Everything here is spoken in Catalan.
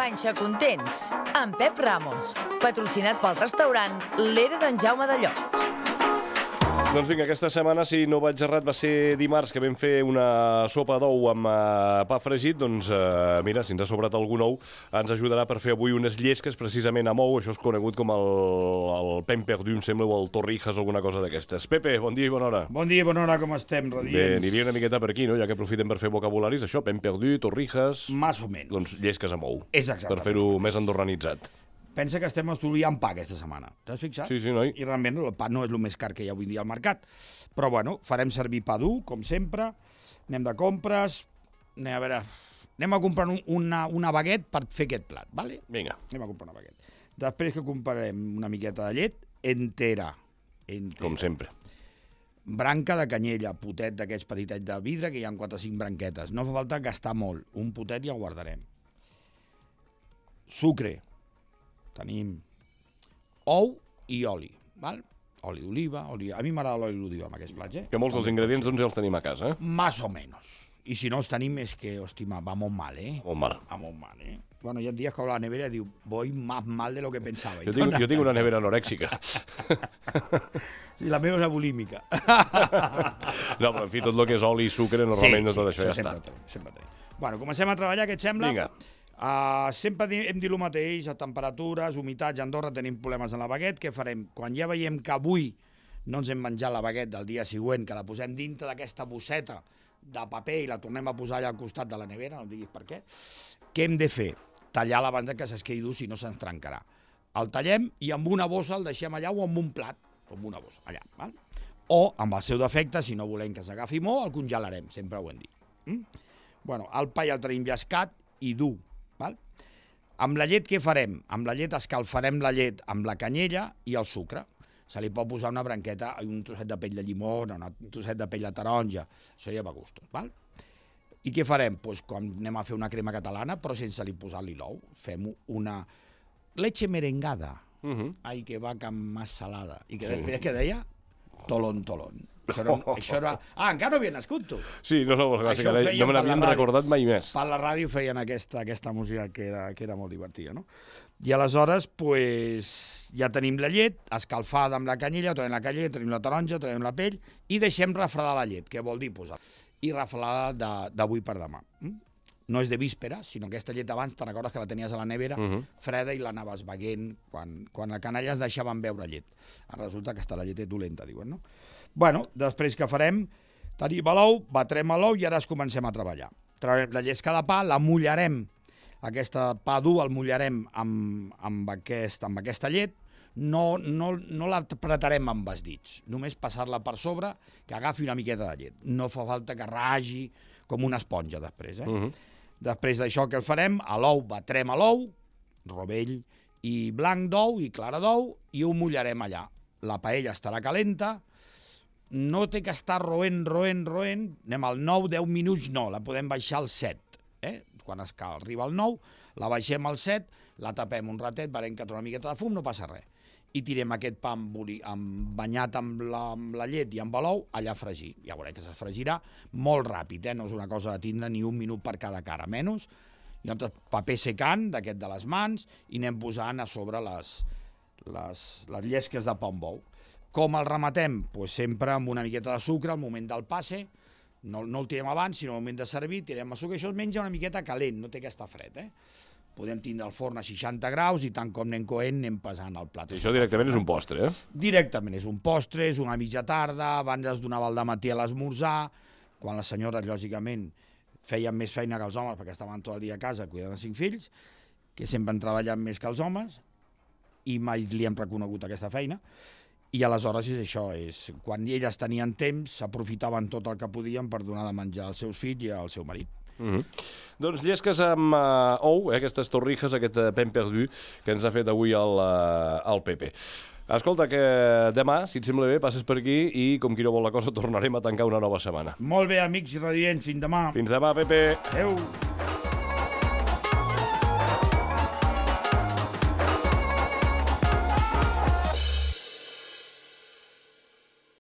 Panxa Contents, amb Pep Ramos, patrocinat pel restaurant L'Era d'en Jaume de Llocs. Doncs vinga, aquesta setmana, si no vaig errat, va ser dimarts que vam fer una sopa d'ou amb pa fregit. Doncs mira, si ens ha sobrat algun ou, ens ajudarà per fer avui unes llesques precisament amb ou. Això és conegut com el pain perdu, em sembla, o el torrijas o alguna cosa d'aquestes. Pepe, bon dia i bona hora. Bon dia i bona hora, com estem, radiants? Bé, aniria una miqueta per aquí, no? Ja que aprofitem per fer vocabularis, això, pain perdu, torrijas... Más o menys. Doncs llesques amb ou. És exactament. Per fer-ho més andorranitzat. Pensa que estem estudiant pa aquesta setmana. T'has fixat? Sí, noi. I realment el pa no és el més car que hi ha avui dia al mercat. Però bueno, farem servir pa dur, com sempre. Anem de compres. Anem a comprar una baguette per fer aquest plat, ¿vale? Vinga. Anem a comprar una baguette. Després que comprarem una miqueta de llet entera. Com sempre. Branca de canyella, potet d'aquests petitets de vidre, que hi ha 4 o 5 branquetes. No fa falta gastar molt. Un potet ja el guardarem. Sucre. Tenim ou i oli, val? Oli d'oliva, a mi m'agrada l'oli d'oliva amb aquests plats, Que molts dels ingredients doncs ja els tenim a casa, Más o menos. I si no els tenim és que, hòstima, va molt mal, Molt mal. Va molt mal, Bueno, hi ha dies que obre la nevera i diu, voy más mal de lo que pensava. Jo tinc una nevera anorèxica. I la meva és bulímica. No, però en fi, tot el que és oli i sucre, normalment tot això ja està. Sempre. Bueno, comencem a treballar, què et sembla? Vinga. Sempre hem dit el mateix, a temperatures, humitats, a Andorra tenim problemes en la baguette. Què farem? Quan ja veiem que avui no ens hem menjat la baguette del dia següent, que la posem dintre d'aquesta bosseta de paper i la tornem a posar allà al costat de la nevera, no em diguis per què hem de fer? Tallar-la abans que s'esqueï dur, si no se'ns trencarà. El tallem i amb una bossa el deixem allà o amb un plat, o amb una bossa, allà. Val? O, amb el seu defecte, si no volem que s'agafi molt, el congelarem, sempre ho hem dit. Bueno, el pa ja el tenim llescat i dur. Val? Amb la llet què farem? Amb la llet escalfarem la llet amb la canyella i el sucre. Se li pot posar una branqueta, un trosset de pell de llimona, un trosset de pell de taronja, això ja va a gustos. Val? I què farem? Pues quan anem a fer una crema catalana, però sense li posar-li l'ou. Fem una leche merengada. Ai, que vaca más salada. I que després què deia? Tolón. Això era... encara no havia nascut, tu. Sí, no me n'havien recordat mai més. Per la ràdio feien aquesta música que era molt divertida, no? I aleshores, pues, ja tenim la llet escalfada amb la canyella, tenim la canyella, tenim la taronja, tenim la pell, i deixem refredar la llet, que vol dir posar. I refredada d'avui per demà. No és de víspera, sinó aquesta llet abans, te'n recordes que la tenies a la nevera, freda, i l'anaves beguent quan la canalla es deixaven beure llet. Resulta que està la llet dolenta, diuen, no? Bueno, després què farem? Tenim l'ou, batrem l'ou i ara comencem a treballar. Traurem la llesca de pa, la mullarem, aquesta pa dur el mullarem amb aquesta llet, no la apretarem amb els dits, només passar-la per sobre, que agafi una miqueta de llet. No fa falta que ragi com una esponja després, Després d'això què el farem? A l'ou batrem l'ou, rovell i blanc d'ou i clara d'ou, i ho mullarem allà. La paella estarà calenta, no té que estar roent, anem al 9-10 minuts, no, la podem baixar al 7, quan arriba al 9, la baixem al 7, la tapem un ratet, veurem que trona una miqueta de fum, no passa res. I tirem aquest pa banyat amb la llet i amb l'ou allà a fregir. Ja veurem que es fregirà molt ràpid, no és una cosa de tindre ni un minut per cada cara, menys. I llavors paper secant d'aquest de les mans i anem posant a sobre les llesques de pa amb ou. Com el rematem? Pues sempre amb una miqueta de sucre al moment del passe, no el tirem abans, sinó al moment de servir, tirem el sucre, això es menja una miqueta calent, no té que estar fred, Podem tindre el forn a 60 graus i tant com anem coent anem pesant el plat. Això directament és un postre, Directament és un postre, és una mitja tarda, abans es donava el dematí a l'esmorzar, quan les senyores, lògicament, feien més feina que els homes perquè estaven tot el dia a casa cuidant els 5 fills, que sempre han treballat més que els homes, i mai li hem reconegut aquesta feina. I aleshores és això, quan elles tenien temps, s'aprofitaven tot el que podien per donar de menjar als seus fills i al seu marit. Doncs llesques amb ou, aquestes torrijas, aquest pain perdu que ens ha fet avui el Pepe. Escolta, que demà, si et sembla bé, passes per aquí i, com qui no vol la cosa, tornarem a tancar una nova setmana. Molt bé, amics i radiants, fins demà. Fins demà, Pepe. Adéu.